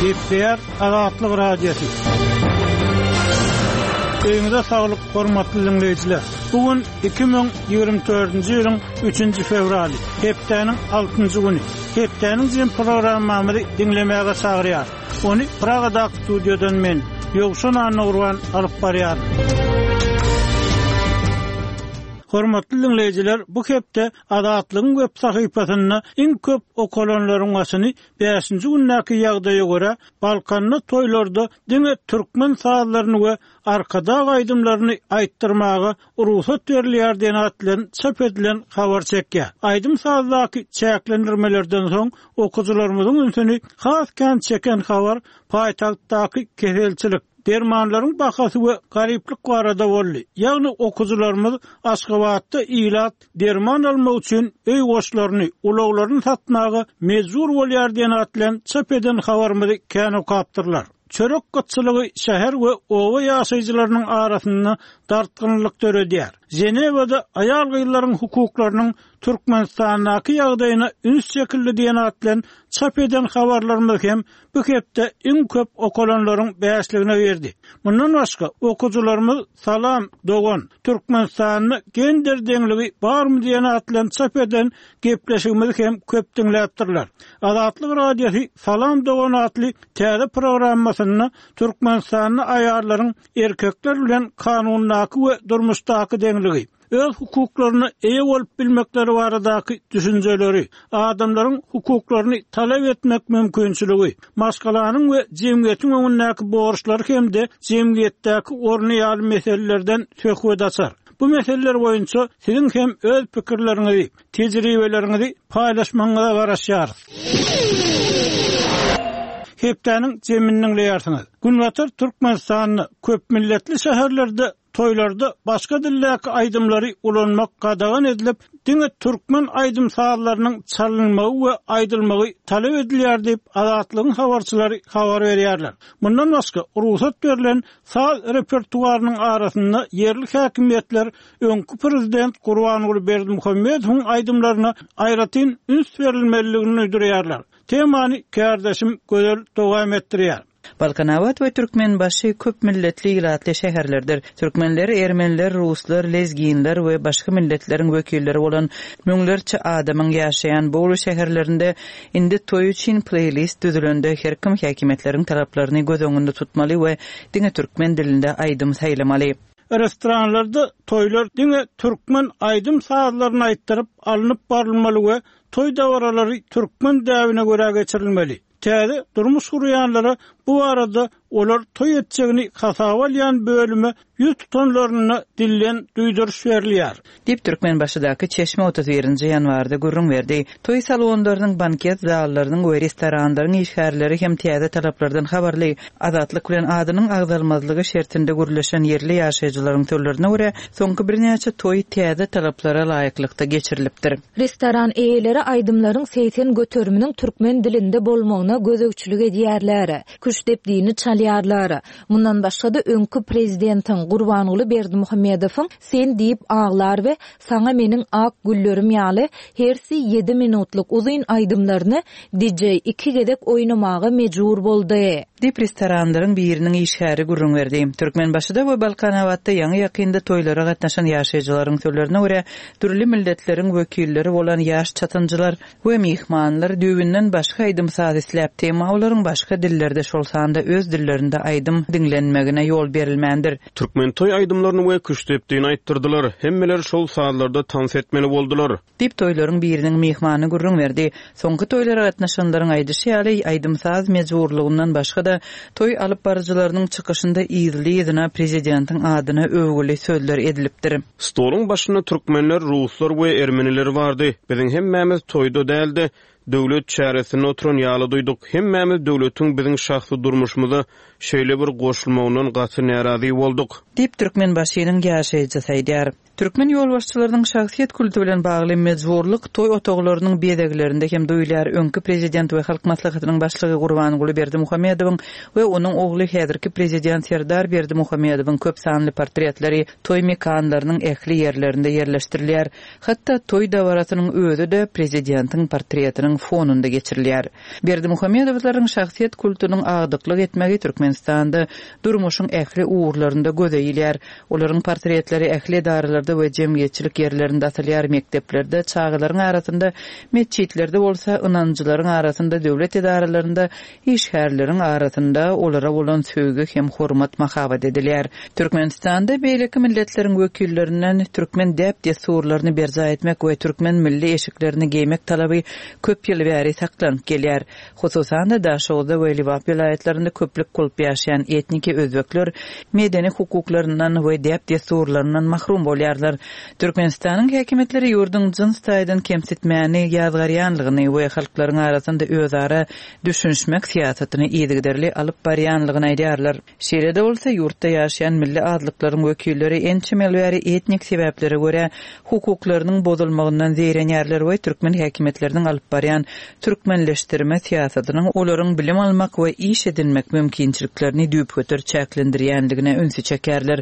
Gepleýär Azatlyk Radiosy. Öýüňize saglyk, hormatly diňleýjiler! Bu gün 2024-nji ýylyň üçünji fewraly, hepdäniň altynjy güni. Hepdäniň jem programmamyzy diňlemäge çagyrýarys. Ony Pragadaky studiýadan men, Ýowşan Annagurban alyp barýaryn. Hormatly diňleýjiler, bu hepde Azatlygyň web sahypasynda iň köp okalanlaryň başyny bäşinji gündäki ýagdaýa görä, Balkanda toýlarda diňe türkmen sazlaryny we Arkadag aýdymlaryny aýtdyrmaga rugsat berilýär diýen at bilen çap edilen habar çekýär. Aýdym-sazdaky çäklendirmelerden soň okyjylarymyzyň ünsüni has kän çeken habar paýtagtdaky keselçilik, dermanlaryň bahasy we garyplyk barada boldy. Ýagny okyjylarymyz Aşgabatda ilat derman almak üçin öý goşlaryny, ulaglaryny satmaga mejbur bolýar diýen at bilen çap eden habarymyzy kän okapdyrlar. Çörek gytçylygy şäher we oba ýaşaýjylarynyň arasynda dartgynlylyk döredýär. Ženewada aýal-gyzlaryň hukuklarynyň Türkmenistandaky ýagdaýyna üns çekildi diýen at bilen çap eden habarlarymyz hem bu hepde iň köp okalanlaryň bäşligine girdi. Mundan başga, okyjylarymyz Salam, dogan! Türkmenistanda gender deňligi barmy diýen at bilen çap eden gepleşigimizi hem köp diňläpdirler. Azatlyk Radiosy Salam, dogan atly täze programmasynda Türkmenistanda aýallaryň erkekler bilen kanundaky we durmuşdaky deňligi, öz hukuklaryna eýe bolup bilmekleri baradaky düşünjeleri, adamlaryň hukuklaryny talap etmek mümkinçiligi, maşgalanyň we jemgyýetiň öňündäki borçlary hem-de jemgyýetdäki orny ýaly meselelerden söhbet açar. Bu meseleler boýunça siziň hem öz pikirleriňizi, tejribeleriňizi paýlaşmagyňyza garaşýarys. Hepdäniň jemini diňleýärsiňiz. Günbatar Türkmenistanda köpmilletli şäherlerde Toýlarda başga dildäki aýdymlary ulanmak gadagan edilip, diňe türkmen aýdym-sazlarynyň çalynmagy we aýdylmagy talap edilýär diýip, Azatlygyň habarçylary habar berýärler. Mundan başga, rugsat berlen saz repertuarynyň arasynda ýerli häkimiýetler öňki prezident Gurbanguly Berdimuhamedowyň aýdymlaryna aýratyn üns berilmelidigini duýdurýarlar. Temany kärdeşim Gözel dowam etdirýär. Balkanabat we Türkmenbaşy köp milletli ilatly şäherlerdir. Türkmenler, ermeniler, ruslar, lezginler we başga milletleriň wekilleri bolan müňlerçe adamyň ýaşaýan bu uly şäherlerinde indi toý üçin pleýlist düzülende her kim häkimiýetleriň talaplaryny göz öňünde tutmaly we diňe türkmen dilinde aýdym saýlamaly. Restoranlarda toýlar diňe türkmen aýdym-sazlaryny aýtdyryp alnyp barylmaly we toý dabaralary türkmen däbine görä geçirilmeli. Täze durmuş gurýanlara bu barada olar toý etjegini hasaba alýan bölüme ýüz tutanlarynda dilden duýduryş berilýär. Diýip, Türkmenbaşydaky çeşme 31 nji ýanwarda gürrüň berdi. Toý salonlarynyň, banket zallarynyň we restoranlaryň işgärleri hem täze talaplardan habarly. Azatlyk bilen adynyň agzalmazlygy şertinde gürleşen ýerli ýaşaýjylaryň sözlerine görä, soňky birnäçe toý täze talaplara laýyklykda geçirilipdir. Restoran eýeleri aýdymlaryň 80 göteriminiň türkmen dilinde bolmagyna gözegçilik edýärler. Küştdepdini çalýarlar. Mundan başga-da öňki prezidentiň Gurbanguly Berdimuhamedowyň Sen diýip aglar we Saňa meniň ak güllerim ýaly hersi ýedi minutlyk uzyn aýdymlaryny DJ iki gezek oýnamaga mejbur boldy. Diýip, restoranlaryň biriniň işgäri gürrüň berdi. Türkmenbaşyda we Balkanabatda ýaňy-ýakynda toýlara gatnaşan ýaşaýjylaryň sözlerine görä, dürli milletleriň wekilleri bolan ýaş çatynjylar we myhmanlar düýbünden başga aýdym-saz isläpdi, emma olaryň başga dillerde, şol sanda öz dillerinde aýdym diňlenmegine ýol berilmändir. Türkmen toý aýdymlaryny we küştdepdini aýtdyrdylar. Hemmeler şol sazlarda tans etmeli boldular. Diýip, toýlaryň biriniň myhmany gürrüň berdi. Soňky toýlara gatnaşanlaryň aýdyşy ýaly, aýdym-saz mejburlygyndan başga-da, toý alyp baryjylarynyň çykyşynda yzly-yzyna prezidentiň adyna öwgüli sözler edilipdir. Stoluň başynda türkmenler, ruslar we ermeniler bardy. Biziň hemmämiz toýda däl-de, döwlet çäresinde oturan ýaly duýduk. Hemmämiz döwletiň biziň şahsy durmuşymyza şeýle bir goşulmagyndan gaty närazy bolduk. Diýip, Türkmenbaşynyň ýaşaýjysy aýdýar. Türkmen ýolbaşçylarynyň şahsyýet kulty bilen bagly mejburlyk toý otaglarynyň bezeglerinde hem duýulýar. Öňki prezident we Halk Maslahatynyň başlygy Gurbanguly Berdimuhamedowyň we onuň ogly häzirki prezident Serdar Berdimuhamedowyň köp sanly portretleri toý mekanlarynyň ähli ýerlerinde ýerleşdirilýär. Hatda toý dabarasynyň özi-de prezidentiň portretiniň. syýasatynyň fonunda geçirilýär. Berdimuhamedowlaryň şahsyýet kultunyň agdyklyk etmegi Türkmenistanda durmuşyň ähli ugurlarynda göze ilýär. Olaryň portretleri ähli edaralarda we jemgyýetçilik ýerlerinde asylýar, mekdeplerde, çagalaryň arasynda, metjitlerde bolsa, ynanjylaryň arasynda, döwlet edaralarynda, işgärleriň arasynda olara bolan söýgi hem hormat mahabat edilýär. Türkmenistanda beýleki milletleriň wekillerinden türkmen däp-dessurlaryny berjaý etmek we türkmen milli eşiklerini geýmek talaby köp ýyl bäri saklanyp gelýär. Hususan-da, Daşoguzda we Lebap welaýatlarynda köplük bolup ýaşaýan etniki özbekler medeni hukuklaryndan we däp-dessurlaryndan mahrum bolýarlar. Türkmenistanyň häkimiýetleri ýurduň jyns taýdan kemsitmäni ýazgarýanlygyny we halklaryň arasynda özara düşünişmek syýasatyny yzygiderli alyp barýanlygyny aýdýarlar. Şeýle-de bolsa, ýurtda ýaşaýan milli azlyklaryň wekilleri ençeme ýyl bäri etnik sebäplere görä hukuklarynyň bozulmagyndan zeýrenýärler we türkmen häkimiýetleriniň alyp barýan türkmenleşdirme syýasatynyň olaryň bilim almak we iş edinmek mümkinçiliklerini düýpgöter çäklendirýändigine ünsi çekýärler.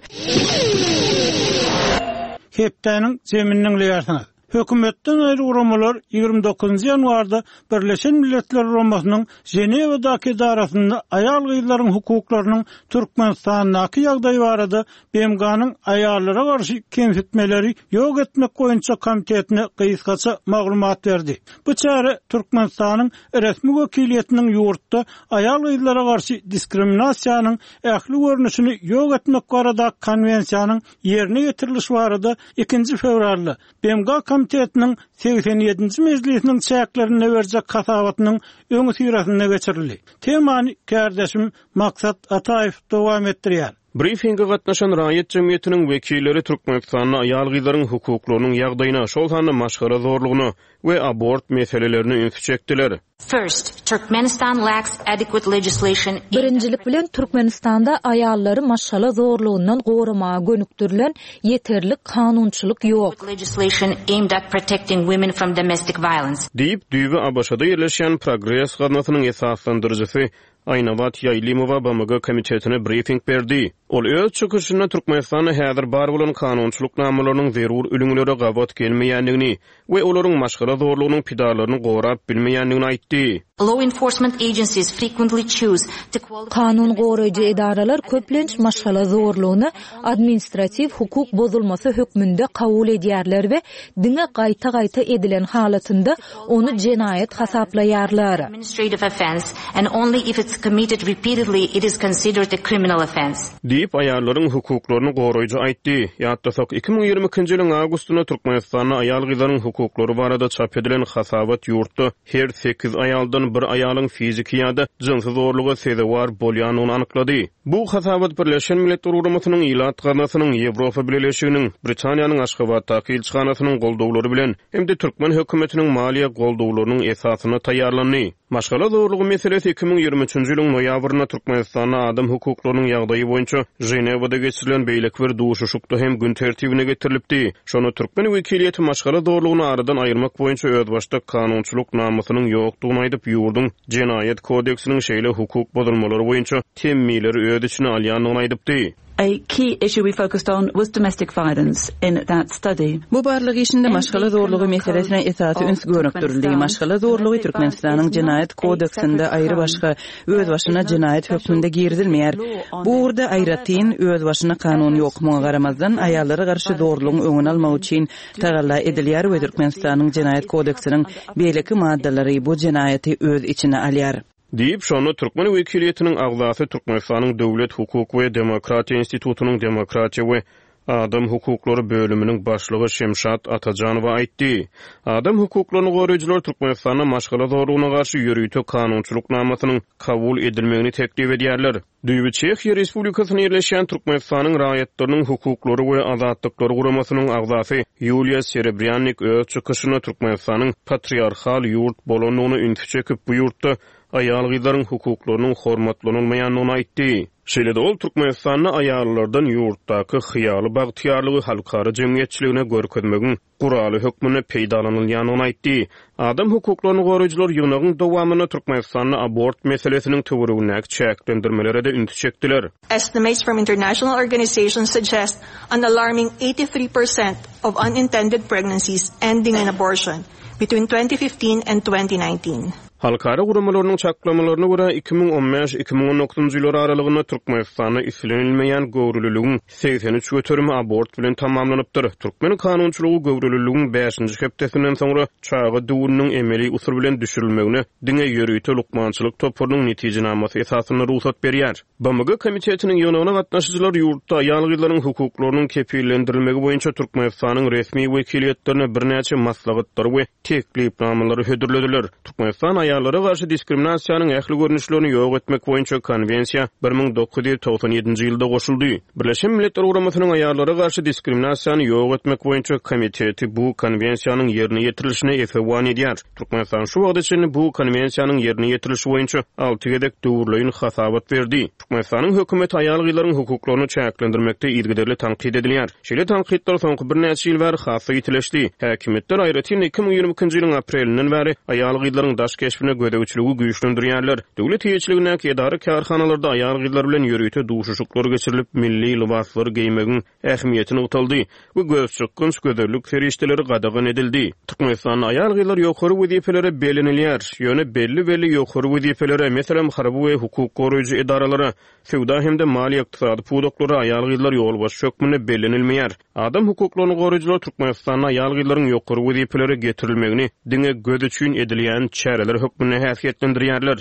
Hepdäniň jemini diňleýärsiňiz. Hökümetden aýry guramalar 29 ýanwarda Birleşen Milletler Guramasynyň Ženewadaky edarasynda aýal-gyzlaryň hukuklarynyň Türkmenistandaky ýagdaýy barada BMG-niň Aýallara garşy kemsitmeleri ýok etmek boýunça komitetine gysgaça maglumat berdi. Bu çäre Türkmenistanyň resmi wekiliýetiniň ýurtda aýal-gyzlara garşy diskriminasiýanyň ähli görnüşini ýok etmek baradaky konwensiýanyň ýerine ýetirilişi barada ikinji fewralda BMG Komitetiniň 87-nji mejlisiniň çäklerinde berjek hasabatynyň öňüsyrasynda geçirildi. Temany kärdeşim Maksat Ataýew dowam etdirýär. Brifinge gatnaşan raýat jemgyýetiniň wekilleri Türkmenistanda aýal-gyzlaryň hukuklarynyň ýagdaýyna, şol sanda maşgala zorlugyna we abort meselelerine ünsi çekdiler. First, Turkmenistan lacks adequate legislation aimed at. Birinjilik bilen, Türkmenistanda aýallary maşgala zorlugyndan goramaga gönükdirilen ýeterlik kanunçylyk ýok. legislation aimed at protecting women from domestic violence. Diýip, düýbi ABŞ-da ýerleşýän Progres gaznasynyň esaslandyryjysy Aýnabat Ýaýlymowa BMG komitetine brifing berdi. Ol öz çykyşynda Türkmenistanda häzir bar bolan kanunçylyk namalarynyň zerur ülňülere gabat gelmeýändigini we olaryň maşgala zorlugynyň pidalaryny gorap bilmeýändigini aýtdy. Law enforcement agencies frequently choose to qualify Kanun goraýjy edaralar köplenç maşgala zorlugyny administratiw hukuk bozulmasy hökmünde kabul edýärler we diňe gaýta-gaýta edilen halatynda ony jenaýat hasaplaýarlar. administrative offense and only if it's committed repeatedly it is considered a criminal offense. Diýip, aýallaryň hukuklaryny goraýjy aýtdy. Ýatlasak, 2022-nji ýylyň awgustynda Türkmenistanda aýal-gyzlaryň hukuklary barada çap edilen hasabat ýurtda her sekiz aýaldan bir aýalyň fiziki ýa-da jynsy zorluga sezewar bolýandygyny anyklady. Bu hasabat Birleşen Milletler Guramasynyň Ilat Gaznasynyň, Ýewropa Bileleşiginiň, Britaniýanyň Aşgabatdaky ilçihanasynyň goldawlary bilen hem-de türkmen hökümetiniň maliýe goldawlarynyň esasynda taýýarlandy. Maşgala zorlugy meselesi 2023-nji ýylyň noýabrynda Türkmenistanda adam hukuklarynyň ýagdaýy boýunça Ženewada geçirilen beýleki bir duşuşykda hem gün tertibine getirilipdi. Şonda türkmen wekiliýeti maşgala zorlugyny aradan aýyrmak boýunça özbaşdak kanunçylyk namasynyň ýokdugyny aýdyp, ýurduň Jenaýat kodeksiniň şeýle hukuk bozulmalary boýunça temmileri öz içine alýandygyny aýdypdy. A key issue we focused on was domestic violence in that study. Bu barlag işinde maşgala zorlugy meselesine esasy üns gönükdirildi. Maşgala zorlugy Türkmenistanyň Jenaýat kodeksinde aýrybaşga, özbaşyna jenaýat hökmünde girizilmeýär. Bu ugurda aýratyn, özbaşyna kanun ýok. Muňa garamazdan, aýallara garşy zorlugyň öňüni almak üçin tagalla edilýär we Türkmenistanyň Jenaýat kodeksiniň beýleki maddalary bu jenaýaty öz içine alýar. Diýip, şonda türkmen wekiliýetiniň agzasy Türkmenistanyň Döwlet, hukuk we demokratiýa institutynyň demokratiýa we adam hukuklary bölüminiň başlygy Şemşat Atajanowa aýtdy. Adam hukuklaryny goraýjylar Türkmenistanda maşgala zorlugyna garşy ýörite kanunçylyk namasynyň kabul edilmegini teklip edýärler. Düýbi Çehiýa Respublikasynda ýerleşýän Türkmenistanyň Raýatlarynyň hukuklary we azatlyklary guramasynyň agzasy Ýuliýa Serebrýannik öz çykyşynda Türkmenistanyň patriarhal ýurt bolandygyna ünsi çekip, bu ýurtda aýal-gyzlaryň hukuklarynyň hormatlanylmaýandygyny aýtdy. Şeýle-de ol Türkmenistanda aýallardan ýurtdaky hyýaly bagtyýarlygy halkara jemgyýetçiligine görkezmegiň guraly hökmünde peýdalanylýandygyny aýtdy. Adam hukuklaryny goraýjylar ýygnagyň dowamynda Türkmenistanda abort meselesiniň töweregindäki çäklendirmelere-de ünsi çekdiler. Estimates from international organizations suggest an alarming 83 percent of unintended pregnancies ending in abortion. between 2015 and 2019. Halkara guramalarynyň çaklamalaryna görä, 2015, 2019-njy ýyllar aralygynda Türkmenistanda islenilmeýän göwreliligiň 83 göterimi abort bilen tamamlanypdyr. Türkmen kanunçylygy göwreliligiň bäşinji hepdesinden soňra çaga düwüniniň emeli usul bilen düşürilmegine diňe ýörite lukmançylyk toparynyň netijenamasy esasynda rugsat berýär. BMG Komitetiniň ýygnagyna gatnaşyjylar ýurtda aýal-gyzlaryň hukuklarynyň kepillendirilmegi boýunça Türkmenistanyň resmi wekiliýetlerine birnäçe maslahatlary we teklipnamalary hödürlediler. Türkmenistan aýallara garşy diskriminasiýanyň ähli görnüşlerini ýok etmek boýunça Konwensiýa 1997-nji ýylda goşuldy. Birleşen Milletler Guramasynyň Aýallara garşy diskriminasiýany ýok etmek boýunça Komiteti bu Konwensiýanyň ýerine ýetirilişine esewan edýär. Türkmenistan şu wagta çenli bu Konwensiýanyň ýerine ýetirilişi boýunça alty gezek döwürleýin hasabat berdi. Türkmenistanyň hökümeti aýal-gyzlaryň hukuklaryny çäklendirmekde yzygiderli tankyt edilýär. Şeýle tankytlar soňky birnäçe ýyl bäri has-da ýitileşdi. Häkimiýetler, aýratyn-da 2022-nji ýylyň aprelinden bäri aýal-gyzlaryň daş keşbine gözegçiligi güýçlendirýärler. Döwlet eýeçiligindäki edara-kärhanalarda aýal-gyzlar bilen ýörite duşuşyklar geçirilip, milli lybaslary geýmegiň ähmiýeti nygtaldy we gözçykgynç gözellik serişdeleri gadagan edildi. Türkmenistanda aýal-gyzlar ýokary wezipelere bellenilýär, ýöne belli-belli ýokary wezipelere, meselem, harby we hukuk goraýjy edaralara, söwda hem-de maliýe-ykdysady pudaklara aýal-gyzlar ýolbaşçy hökmünde bellenilmeýär. Adam hukuklaryny goraýjylar Türkmenistanda aýal-gyzlaryň ýokary wezipelere getirilmegini diňe göz üçin edilýän çäreler hökmünde häsiýetlendirýärler.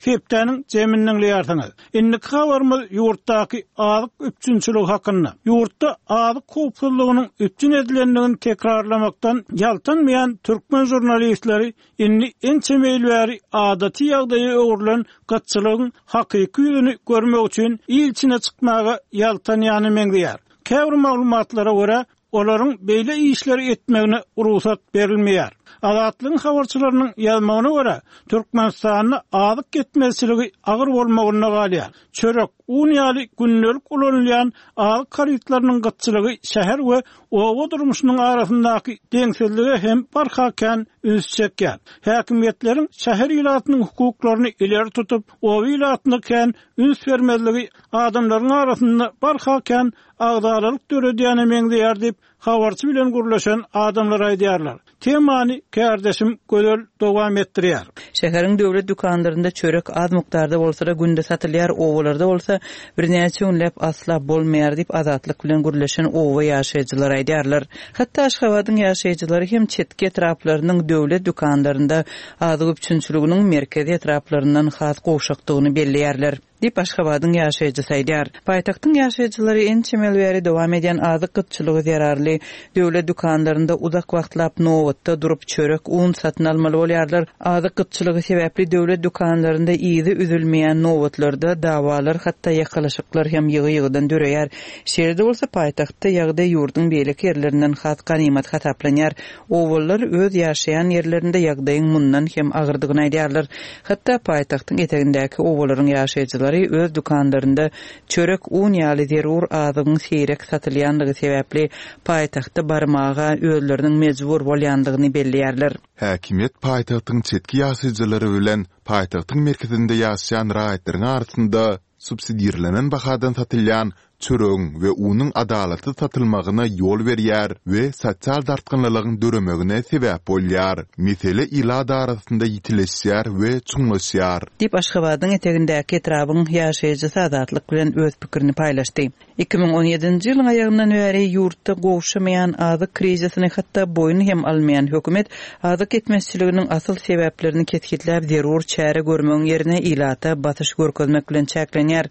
Hepdäniň jemini diňleýärsiňiz. Indiki habarymyz ýurtdaky azyk üpjünçiligi hakynda. Ýurtda azyk howpsuzlygynyň üpjün edilendigini tekrarlamakdan ýaltanmaýan türkmen žurnalistleri indi ençeme ýyl bäri adaty ýagdaýa öwrülen gytçylygyň hakyky ýüzüni görmek üçin il içine çykmaga ýaltanýana meňzeýär. Käbir maglumatlara görä, Olaryň beýle işleri etmegine rugsat berilmeýär. Azatlygyň habarçylarynyň ýazmagyna görä, Türkmenistanda azyk ýetmezçiligi agyr bolmagynda galýar. Çörek, un ýaly gündelik ulanylýan azyk harytlarynyň gytçylygy şäher we oba durmuşynyň arasyndaky deňsizlige hem barha kän üns çekýär. Häkimiýetleriň şäher ilatynyň hukuklaryny ileri tutup, oba ilatyna kän üns bermezligi adamlaryň arasynda barha kän agzalalyk döredýäne meňzeýär diýip, habarçy bilen gürleşen adamlar aýdýarlar. Temany kärdeşim Gözel dowam etdirýär. Şäheriň döwlet dükanlarynda çörek az mukdarda bolsa-da günde satylýar, obalarda bolsa birnäçe günläp asla bolmaýar diýip, Azatlyk bilen gürleşen oba ýaşaýjylary aýdýarlar. Hatda Aşgabadyň ýaşaýjylary hem çetki etraplarynyň döwlet dükanlarynda azyk üpjünçiliginiň merkezi etraplaryndan has gowşakdygyny belleýärler. Diýip, Aşgabadyň ýaşaýjysy aýdýar. Paýtagtyň ýaşaýjylary ençeme ýyl bäri dowam edýän azyk gytçylygy zerarly döwlet dükanlarynda uzak wagtlap nobatda durup, çörek, un satyn almaly bolýarlar. Azyk gytçylygy sebäpli döwlet dükanlarynda yzy üzülmeýän nobatlarda dawalar, hatda ýakalaşyklar hem ýygy-ýygydan döreýär. Şeýle-de bolsa, paýtagtda ýagdaý ýurduň beýleki ýerlerinden has ganymat hasaplanýar. Obalylar öz ýaşaýan ýerlerinde ýagdaýyň mundan hem agyrdygyny aýdýarlar. Hatda paýtagtyň etegindäki obalaryň ýaşaýjylary öz dükanlarynda çörek, un ýaly zerur azygyň seýrek satylýandygy sebäpli paýtagta barmaga özleriniň mejbur bolýandygyny belleýärler. Häkimiýet paýtagtyň çetki ýaşaýjylary bilen paýtagtyň merkezinde ýaşaýan raýatlaryň arasynda subsidirlenen bahadan satylýan çöregiň we unuň adalatsyz satylmagyna ýol berýär we sosial dartgynlylygyň döremegine sebäp bolýar. Mesele ilat arasynda ýitileşýär we çuňlaşýar. Diýip, Aşgabadyň etegindäki etrabyň ýaşaýjysy Azatlyk bilen öz pikirini paýlaşdy. 2017-nji ýylyň aýagyndan bäri ýurtda gowşamaýan azyk krizisini hatda boýun hem almaýan hökümet azyk ýetmezçiliginiň asyl sebäplerini kesgitläp zerur çäre görmegiň ýerine ilata basyş görkezmek bilen çäklenýär.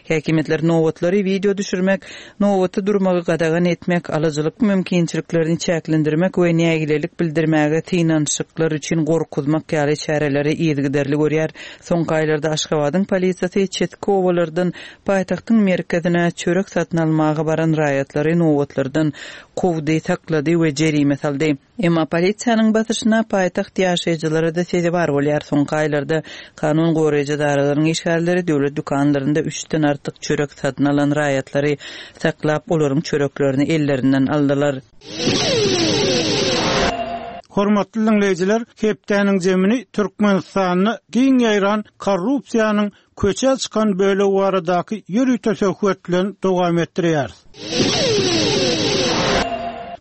Häkimiýetler nobatlary wideo düşürmek, nobatda durmagy gadagan etmek, alyjylyk mümkinçiliklerini çäklendirmek we nägilelik bildirmäge synanyşyklar üçin gorkuzmak ýaly çäreleri yzygiderli görýär. Soňky aýlarda Aşgabadyň polisiýasy çetki obalardan Paýtagtyň merkezine çörek satyn almaga baran raýatlary nobatlardan kowdy, saklady we jerime saldy. Emma polisiýanyň basyşyna paýtagt ýaşaýjylary-da sezewar bolýar. Soňky aýlarda kanun goraýjy edaralaryň işgärleri döwlet dükanlarynda üçden artyk çörek satyn alan raýatlary saklap, olaryň çöreklerini ellerinden aldylar. Hormatly diňleýjiler, hepdäniň jemini Türkmenistanda giň ýaýran korrupsiýanyň köçä çykan bölegi baradaky ýörite söhbet bilen dowam etdirýäris.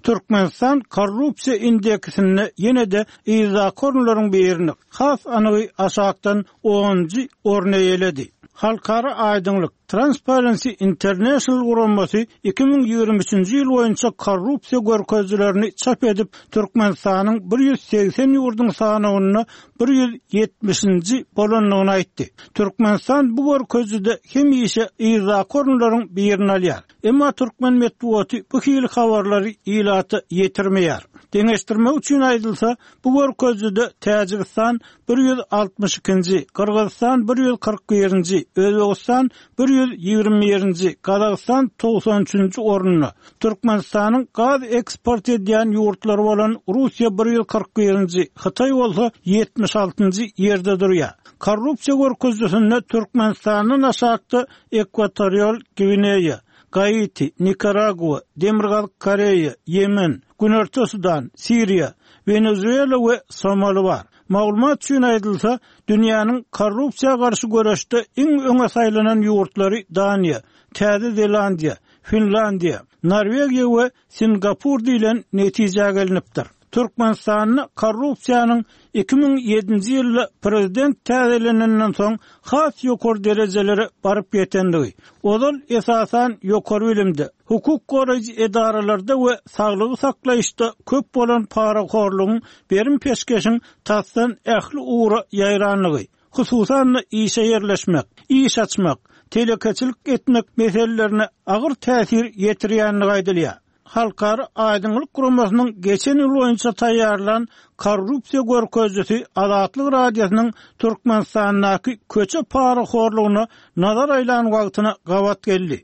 Türkmenistan korrupsiýa indeksinde ýene-de yzdaky orunlaryň birini, has anygy aşakdan onunjy orny eýeledi. Halkara aýdyňlyk, Transparency International guramasy 2023-nji ýyl boýunça korrupsiýa görkezijilerini çap edip, Türkmenistanyň 180 ýurduň sanawynda 170-nji bolandygyny aýtdy. Türkmenistan bu görkezijide hemişe yzdaky orunlaryň birini alýar. Emma türkmen metbugaty bu hili habarlary ilata ýetirmeýär. Deňeşdirmek üçin aýdylsa, bu görkezijide Täjigistan 162-nji, Gyrgyzystan 141-nji, Özbegistan 121-nji, Gazagystan 93-nji orunda, Türkmenistanyň gaz eksport edýän ýurtlary bolan Russiýa 141-nji, Hytaý bolsa 76-njy ýerde durýar. Korrupsiýa görkezijisinde Türkmenistandan aşakda Ekwatorial Gwineýa, Gaiti, Nikaragua, Demirgazyk Koreýa, Ýemen, Günorta Sudan, Siriýa, Wenezuela we Somali bar. Maglumat üçin aýdylsa, dünýäniň korrupsiýa garşy göreşde iň öňe saýlanan ýurtlary Daniýa, Täze Zelandiýa, Finlandiýa, Norwegiýa we Singapur diýlen netijä gelnipdir. Türkmenistanda korrupsiýanyň 2007-nji ýylda prezident täzelenenden soň has ýokary derejelere baryp ýetendigi, ozal esasan ýokary bilimde, hukuk goraýjy edaralarda we saglygy saklaýyşda köp bolan parahorlugyň, berim-peşgeşiň tasdan ähli ugra ýaýrandygy, hususan-da işe ýerleşmek, iş açmak, telekeçilik etmek meselelerine agyr täsir ýetirýändigi aýdylýar. Halkara aýdyňlyk guramasynyň geçen ýyl boýunça taýýarlan korrupsiýa görkezijisi Azatlyk Radiosynyň Türkmenistandaky köçe parahorlugyna nazar aýlan wagtyna gabat geldi.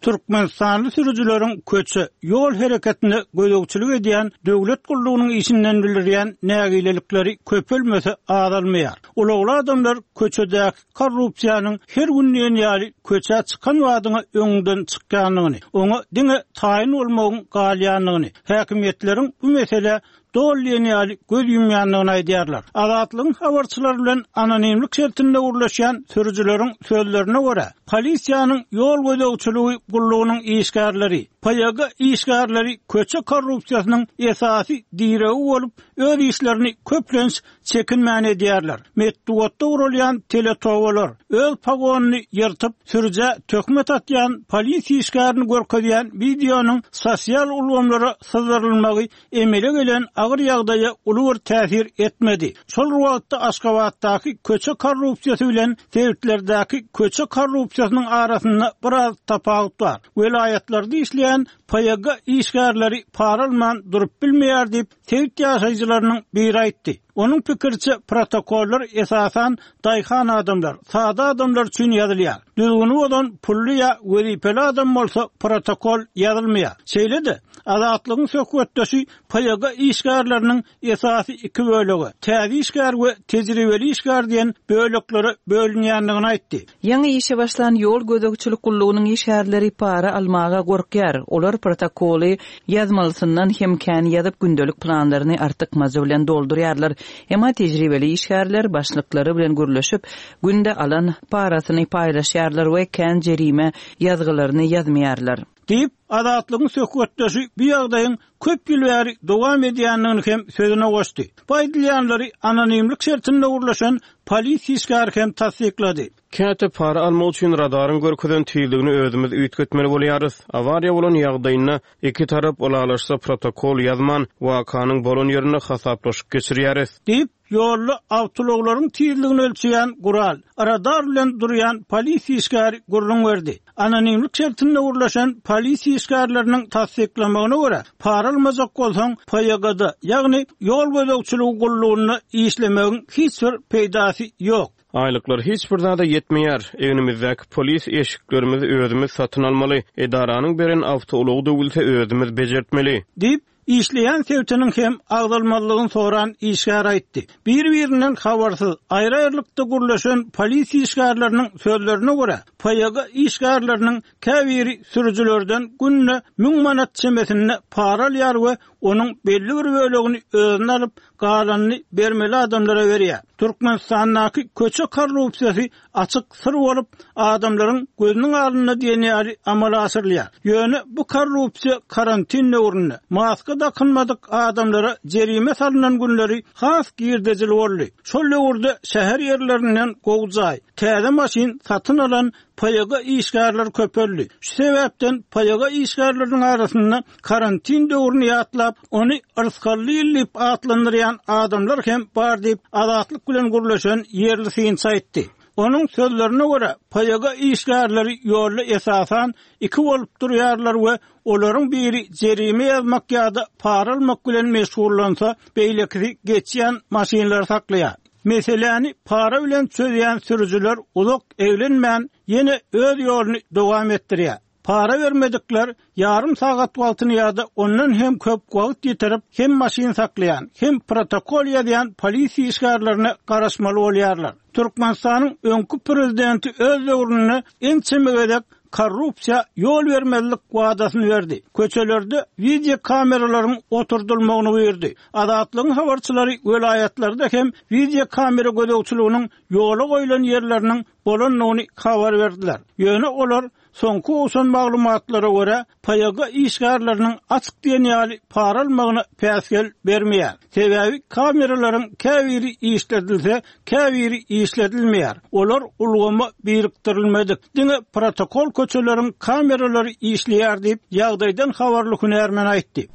Türkmenistanly sürüjileriň köçe, ýol hereketine gözegçilik edýän döwlet gullugynyň işinden bildirýän nägilelikleri köpelmese azalmaýar. Ulagly adamlar köçedäki korrupsiýanyň her gün diýen ýaly köçä çykan badyňa öňüňden çykýandygyny, oňa diňe taýyn bolmagyň galýandygyny, häkimiýetleriň bu meselä doly diýen ýaly göz ýumýandygyny aýdýarlar. Azatlygyň habarçylary bilen anonimlik şertinde gürleşýän sürüjileriň sözlerine görä, polisiýanyň ýol gözegçiligi gullugynyň işgärleri, PYG işgärleri köçe korrupsiýasynyň esasy diregi bolup, öz işlerini köplenç çekinmän edýärler. Metbugatda guralýan teletobalar, öz pogonyny ýyrtyp, sürüjä töhmet atýan polisiýa işgärini görkezýän wideonyň sosial ulgamlara syzdyrylmagy emele gelen agyr ýagdaýa uly bir täsir etmedi. Şol bir wagtda Aşgabatdaky köçe korrupsiýasy bilen sebitlerdäki köçe korrupsiýasynyň arasynda biraz tapawut bar. Welaýatlarda işleýän PYG işgärleri para alman durup bilmeýär diýip, Sebit ýaşaýjylarynyň biri aýtdy. Onuň pikiriçe, protokollar esasan daýhan adamlar, sada adamlar üçin ýazylýar. Düzgüni bozan pully ýa wezipeli adam bolsa protokol ýazylmaýar. Şeýle-de, Azatlygyň söhbetdeşi PYG işgärleriniň esasy iki bölege, täze işgär we tejribeli işgär diýen böleklere bölünýändigini aýtdy. Ýaňy işe başlan ýol gözegçilik gullugynyň işgärleri para almaga gorkýar. Olar protokoly ýazmalysyndan hem kän ýazyp, gündelik planlaryny artykmajy bilen doldurýarlar. Emma tejribeli işgärler başlyklary bilen gürleşip, günde alan parasyny paýlaşýarlar we kän jerime ýazgylaryny ýazmaýarlar. Diýip, Azatlygyň söhbetdeşi bu ýagdaýyň köp ýyl bäri dowam edýändigini hem sözüne goşdy. Bu aýdylýanlary anonimlik şertinde gürleşen polisiýa işgäri hem tassyklady. Käte para almak üçin radaryň görkezen tizligini özümiz üýtgetmeli bolýarys. Awariýa bolan ýagdaýynda iki tarap ylalaşsa protokol ýazman, wakanyň bolan ýerinde hasaplaşyk geçirýäris. Diýip, Ýolda awtoulaglaryň tizligini ölçeýän gural, radar bilen durýan polisiýa işgäri gürrüň berdi. Anonimlik şertinde gürleşen polisiýa işgärleriniň tassyklamagyna görä, para almajak bolsaň, PYG-da, ýagny ýol gözegçiligi gullugynda işlemegiň hiç bir peýdasy ýok. Aýlyklar hiç bir zada ýetmeýär. Egnimizdäki polis eşiklerimizi özümiz satyn almaly. Edaranyň beren awtoulagy döwülse özümiz bejertmeli. Diýip, Işleýän sebitiniň hem agzalmazlygyny soran işgär aýtdy. Bir-birinden habarsyz, aýry-aýrylykda gürleşen polisiýa işgärleriniň sözlerine görä, PYG işgärleriniň käbiri sürüjilerden günde 1000 manat çemesinde para alýar we onuň belli bir bölegini özüne alyp, galanyny bermeli adamlara berýär. Türkmenistandaky köçe korrupsiýasy açyk syr bolup, adamlaryň gözüniň alnynda diýen ýaly amala aşyrylýar. Ýöne bu korrupsiýa karantin döwründe, maska dakynmadyk adamlara jerime salnan günleri has girdejili boldy. Şol döwürde şäher ýerlerinden gowy jaý, täze maşyn satyn alan PYG işgärleri köpeldi. Şu sebäpden PYG işgärleriniň arasynda karantin döwrüni ýatlap, ony yrsgally ýyl diýip atlandyrýan adamlar hem bar diýip, Azatlyk bilen gürleşen ýerli synçy aýtdy. Onuň sözlerine görä, PYG işgärleri ýolda esasan iki bolup durýarlar we olaryň biri jerime ýazmak ýa-da para almak bilen meşgullansa, beýlekisi geçýän maşynlary saklaýar. Meseläni para bilen çözýän sürüjiler uzak eglenmän, ýene öz ýoluny dowam etdirýär. Para bermedikler ýarym sagat wagtyny ýa-da ondan hem köp wagt ýitirip, hem maşyn saklaýan, hem protokol ýazýan polisiýa işgärlerine garaşmaly bolýarlar. Türkmenistanyň öňki prezidenti öz döwründe ençeme gezek korrupsiýa ýol bermezlik wadasyny berdi. Köçelerde wideokameralaryň oturdylmagyny buýurdy. Azatlygyň habarçylary welaýatlarda hem wideokamera gözegçiliginiň ýola goýlan ýerleriniň bolandygyny habar berdiler. Ýöne olar soňky gowşan maglumatlara görä, PYG işgärleriniň açyk diýen ýaly para almagyna päsgel bermeýär. Sebäbi kameralaryň käbiri işledilse, käbiri işledilmeýär. Olar ulgama birikdirilmedik. Diňe protokol köçeleriň kameralary işleýär diýip, ýagdaýdan habarly hünärmen aýtdy.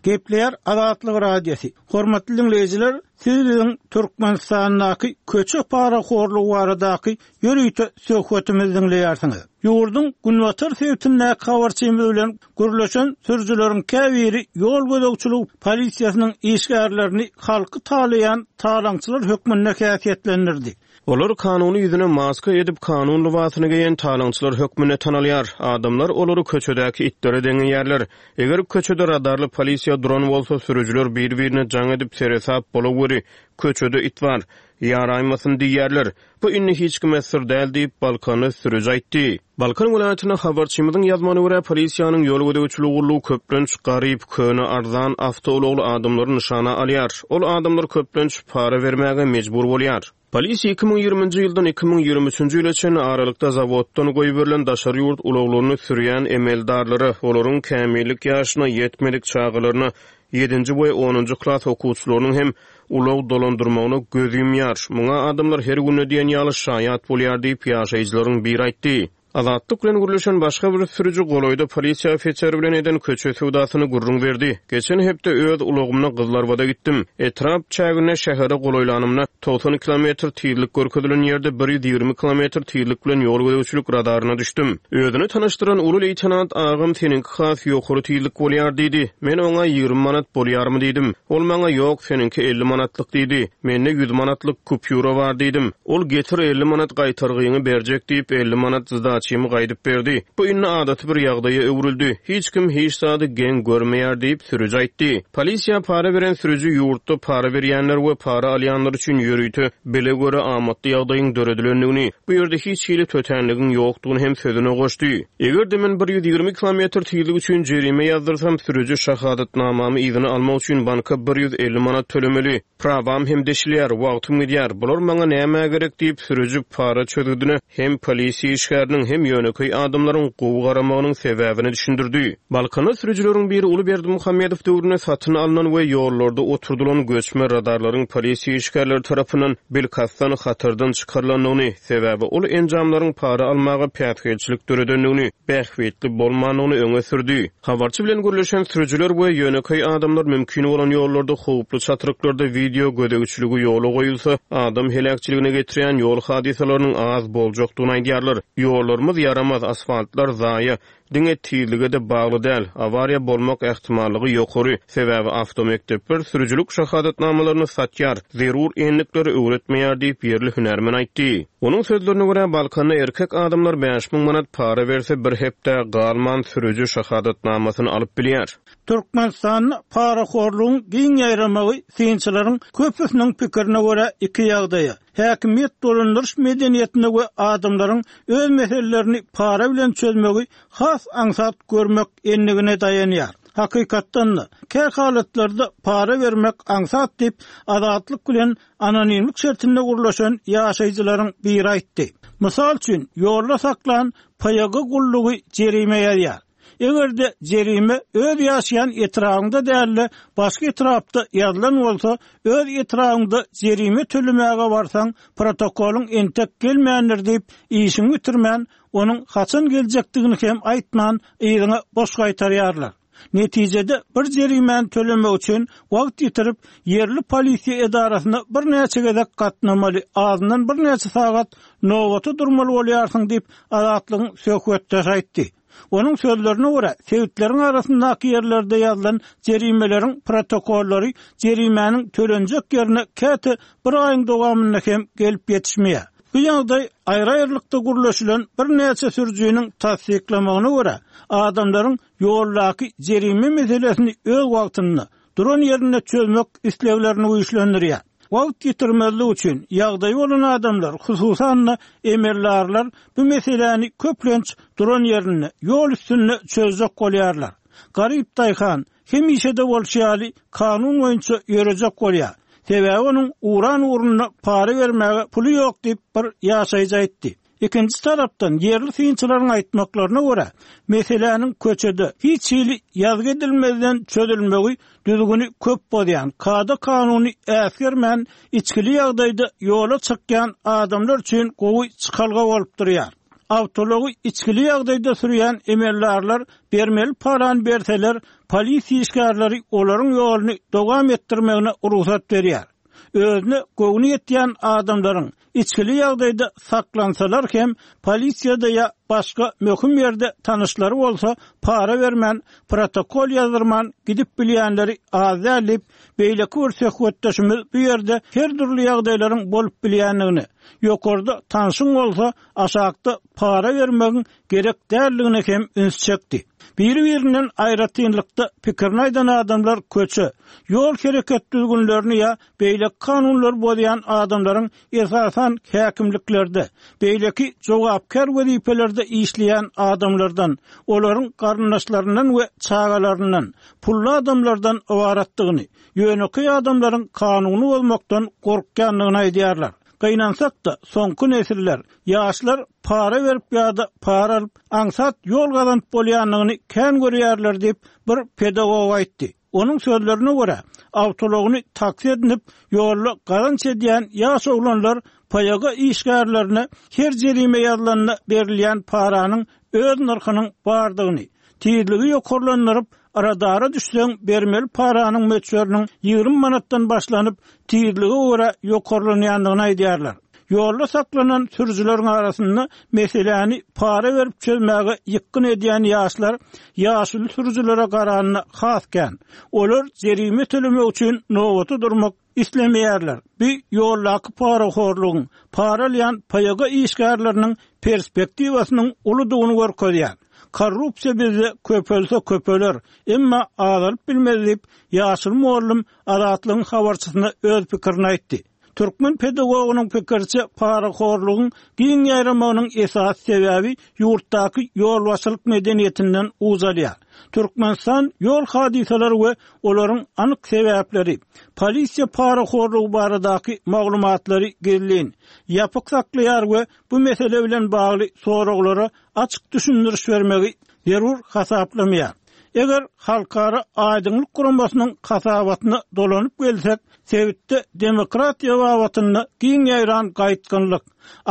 Gepleýär Azatlyk Radiosy. Hormatly diňleýjiler, siz biziň Türkmenistandaky köçe parahorlugy baradaky ýörite söhbetimizi diňleýärsiňiz. Ýurduň günbatar sebitindäki habarçymyz bilen gürleşen sürüjileriň käbiri ýol gözegçiligi polisiýasynyň işgärlerini halky talaýan talaňçylar hökmünde häsiýetlendirdi. Olar kanuny ýüzüne maska edip, kanun lybasyny geýen talaňçylar hökmünde tanalýar. Adamlar olary köçedäki itlere deňeýärler. Eger köçede radarly polisiýa duran bolsa, sürüjiler bir-birine jaň edip, seresap bolaweri, köçede it bar, ýaraýmasyn diýýärler. Bu indi hiç kime syr däl diýip, balkanly sürüji aýtdy. Balkan welaýatynda habarçymyzyň ýazmagyna görä, polisiýanyň ýol gözegçiligi gullugy köplenç garyp, köne, arzan awtoulagly adamlary nyşana alýar. Ol adamlar köplenç para bermäge mejbur bolýar. Polisiýa 2020-nji ýyldan 2023-nji ýyla çenli aralykda zawoddan goýberilen daşary ýurt ulaglaryny sürýän emeldarlara, olaryň kämillik ýaşyna ýetmedik çagalaryna, ýedinji we onunjy klas okuwçylarynyň hem ulag dolandyrmagyna göz ýumýar. Muňa adamlar her günde diýen ýaly şaýat bolýar diýip, ýaşaýjylaryň biri aýtdy. Azatlyk bilen gürleşen başga bir sürüji golaýda polisiýa ofiseri bilen eden köçe söwdasyny gürrüň berdi. Geçen hepde öz ulagymda Gyzlarbada gitdim. Etrap çäginde şähere golaýlanymda, 90 kilometr tizlik görkezilen ýerde 120 kilometr tizlik bilen ýol gözegçilik radaryna düşdüm. Özüni tanyşdyran uly leýtenant agam seniňki has ýokary tizlik bolýar diýdi. Men oňa 20 manat bolýarmy diýdim. Ol maňa ýok seniňki 50 manatlyk diýdi. Mende 100 manatlyk kupýura bar diýdim. Ol getir 50 manat gaýtargyňy berjek diýip 50 manat zdaçymy gaýdyp berdi. Bu indi adaty bir ýagdaýa öwrüldi. Hiç kim hiç zady geň görmeýär diýip, sürüji aýtdy. Polisiýa para beren sürüji ýurtda para berýänler we para alýanlar üçin ýörite bile göre amatly ýagdaýyň döredilendigini, bu ýerde hiç hili tötänligiň ýokdugyny hem sözüne goşdy. Eger-de men 120 kilometr tizlik üçin jerime ýazdyrsam, sürüji şahadatnamamy yzyna almak üçin banka 150 manat tölemeli. Prawam hem deşilýär, wagtym gidýär, bular maňa nämä gerek diýip, sürüji para çözgüdine hem polisiýa işgäriniň, hem ýönekeý adamlaryň gowy garamagynyň sebäbini düşündirdi. Balkanda sürüjileriň biri uly Berdimuhamedow döwründe satyn alnan we ýollarda oturdylan göçme radarlaryň polisiýa işgärleri tarapyndan bilkastdan hatardan çykarylandygyny, sebäbi ol enjamlaryň para almaga päsgelçilik döredendigini, bähbitli bolmandygyny öňe sürdi. Habarçy bilen gürleşen sürüjiler we ýönekeý adamlar mümkin bolan ýollarda howply çatryklarda wideo gözegçiligi ýola goýulsa, adam heläkçiligine getirýän ýol hadysalarynyň az boljakdygyny aýdýarlar. Ýollarymyz ýaramaz, asfaltlar zaýa. diňe tizlige-de bagly däl, awariýa bolmak ähtimallygy ýokary, sebäbi awtomekdepler sürüjilik şahadatnamalaryny satýar, zerur endikleri öwretmeýär diýip, ýerli hünärmen aýtdy. Onuň sözlerine görä, Balkanda erkek adamlar 5000 manat para berse, bir hepdä galman sürüji şahadatnamasyny alyp bilýär. Türkmenistanda parahorlugyň giň ýaýramagy synçylaryň köpüsiniň pikirine görä iki ýagdaýa, häkimiýet dolandyryş medeniýetine we adamlaryň öz meselelerini para bilen çözmegi has aňsat görmek endigine daýanýar. Hakykatdan-da, kä halatlarda para bermek aňsat diýip, Azatlyk bilen anonimlik şertinde gürleşen ýaşaýjylaryň biri aýtdy. Mysal üçin, ýolda saklan PYG gullugy jerime ýazýar. Eger-de jerime öz ýaşaýan etrabyňda däl-de, başga etrapda ýazylan bolsa, öz etrabyňda jerime tölemäge barsaň, protokolyň entek gelmändir diýip, işiňi bitirmän, onuň haçan geljekdigini hem aýtman, yzyňa boş gaýtarýarlar. Netijede, bir jerimäni tölemek üçin wagt ýitirip, ýerli polisiýa edarasyna birnäçe gezek gatnamaly, azyndan birnäçe sagat nobata durmaly bolýarsyň diýip, Azatlygyň söhbetdeşi aýtdy. Onuň sözlerine görä, sebitleriň arasyndaky ýerlerde ýazylan jerimeleriň protokollary jerimäniň tölenjek ýerine käte bir aýyň dowamynda hem gelip ýetişmeýär. Bu ýagdaý aýry-aýrylykda gürleşilen birnäçe sürüjiniň tassyklamagyna görä, adamlaryň ýoldaky jerime meselesini öz wagtynda, duran ýerinde çözmek isleglerini güýçlendirýär. Wagt ýitirmezlik üçin, ýagdaýy bolan adamlar, hususan-da, emeldarlar bu meseläni köplenç duran ýerinde, ýol üstünde çözjek bolýarlar. Garyp daýhan, hemişe-de bolşy ýaly, kanun boýunça ýörejek bolýar. Sebäbi onuň uran ugrunda para bermäge puly ýok diýip, bir ýaşaýjy aýtdy. Ikinji tarapdan, ýerli synçylaryň aýtmaklaryna görä, meseläniň köçede, hiç hili ýazgy edilmezden çözülmegi düzgüni köp bozýan, kada-kanuny äsgermän, içgili ýagdaýda ýola çykýan adamlar üçin gowy çykalga bolup durýar. Awtoulagy içgili ýagdaýda sürýän emeldarlar bermeli parany berseler, polisiýa işgärleri olaryň ýoluny dowam etdirmegine rugsat berýär. Özüne göwni ýetýän adamlaryň içgili ýagdaýda saklansalar hem, polisiýada ýa başga möhüm ýerde tanyşlary bolsa, para bermän, protokol ýazdyrman gidip bilýänleri az däl diýip, beýleki bir söhbetdeşimiz bu ýerde her dürli ýagdaýlaryň bolup bilýändigini, ýokarda tanşyň bolsa, aşakda para bermegiň gerek däldigine hem üns çekdi. Biri-birinden aýratynlykda pikirini aýdan adamlar köçe, ýol hereket düzgünlerini ýa beýleki kanunlary bozýan adamlaryň esasan häkimliklerde, beýleki jogapkär wezipelerde işleýän adamlardan, olaryň garyndaşlaryndan we çagalaryndan, pully adamlardan ybaratdygyny, ýönekeý adamlaryň kanuny bozmakdan gorkýandygyny aýdýarlar. Gynansak-da, soňky nesiller, ýaşlar para berip ýa-da para alyp, aňsat ýol gazanyp bolýandygyny kän görýärler diýip, bir pedagog aýtdy. Onuň sözlerine görä, awtoulagyny taksi edinip, ýolda gazanç edýän ýaş oglanlar PYG işgärlerine her jerime ýazylanda berilýän paranyň öz nyrhynyň bardygyny, tizligi ýokarlandyryp, radara düşseň bermeli paranyň möçberiniň 20 manatdan başlanyp, tizlige görä ýokarlanýandygyny aýdýarlar. Ýolda saklanan sürüjileriň arasynda meseläni para berip çözmäge ýykgyn edýän ýaşlar ýaşuly sürüjilere garanda has kän. Olar jerime tölemek üçin nobata durmak islemeýärler. Bu ýoldaky parahorlugyň, para alýan PYG işgärleriniň perspektiwasynyň uludygyny görkezýär. Korrupsiýa bizde köpelse köpeler, emma azalyp bilmez diýip, ýaşuly mugallym Azatlygyň habarçysyna öz pikirini aýtdy. Türkmen pedagogynyň pikiriçe, parahorlugyň giň ýaýramagynyň esasy sebäbi ýurtdaky ýolbaşçylyk medeniýetinden uç alýar. Türkmenistan ýol hadysalary we olaryň anyk sebäpleri, polisiýa parahorlugy baradaky maglumatlary gizlin, ýapyk saklaýar we bu mesele bilen bagly soraglara açyk düşündiriş bermegi zerur hasaplamaýar. Eger Halkara aýdyňlyk guramasynyň hasabatyna dolanyp gelsek, sebitde demokratiýa babatynda giň ýaýran gaýtgynlyk,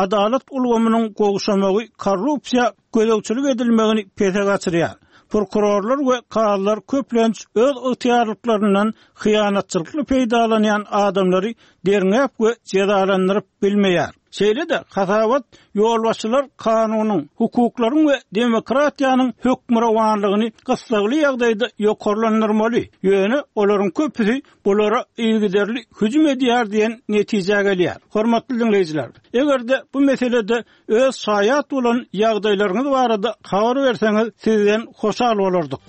adalat ulgamynyň gowşamagy korrupsiýa gözegçilik edilmegini pese gaçyrýar. Prokurorlar we kazylar köplenç öz ygtyýarlyklaryndan hyýanatçylykly peýdalanýan adamlary derňäp we jezalandyryp bilmeýär. Şeýle-de, hasabat ýolbaşçylar kanunyň, hukuklaryň we demokratiýanyň hökmürowanlygyny gyssagly ýagdaýda ýokarlandyrmaly, ýöne olaryň köpüsi bulara yzygiderli hüjüm edýär diýen netijä gelýär. Hormatly diňleýjiler, eger-de bu meselede Öz şaýat bolan ýagdaýlaryňyz barada habar berseňiz sizden hoşal bolardyk.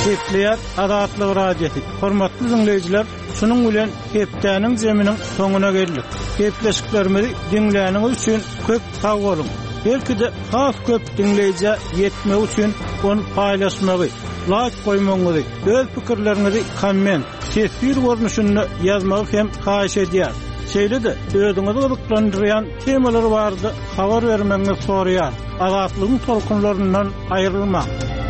Gepleýär Azatlyk Radiosy. Hormatly diňleýjiler, şunuň bilen hepdäniň jeminiň soňuna geldik. Gepleşiklerimizi diňläniňiz üçin köp sag boluň. Belki-de has köp diňleýjä ýetmegi üçin ony paýlaşmagy, laýk goýmagyňyzy, öz pikirleriňizi komment, teswir görnüşinde ýazmagy hem haýyş edýäris. Şeýle-de özüňizi gyzyklandyrýan temalar barada habar bermegiňizi soraýarys. Azatlygyň tolkunlaryndan aýrylmaň!